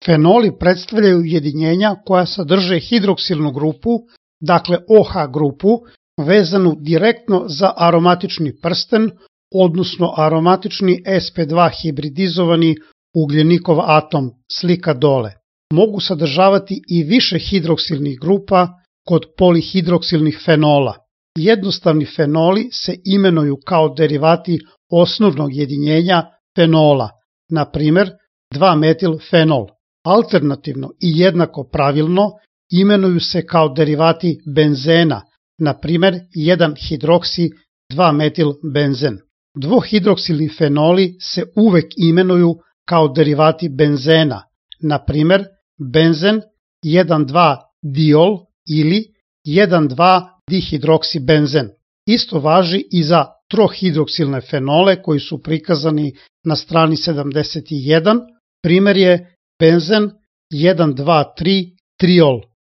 Fenoli predstavljaju ujedinjenja koja sadrže hidroksilnu grupu, dakle OH grupu, vezanu direktno za aromatični prsten, odnosno aromatični sp2 hibridizovani ugljenikov atom, slika dole. Mogu sadržavati i više hidroksilnih grupa kod polihidroksilnih fenola. Jednostavni fenoli se imenuju kao derivati osnovnog jedinjenja fenola, na primjer 2-metilfenol. Alternativno i jednako pravilno imenuju se kao derivati benzena, na primjer 1-hidroksi-2-metilbenzen. Dvohidroksilni fenoli se uvek imenuju kao derivati benzena, na primjer benzen 1,2-diol ili 1,2-dihidroksibenzen. Isto važi i za trohidroksilne fenole koji su prikazani na strani 71, primjer je benzen 1,2,3-triol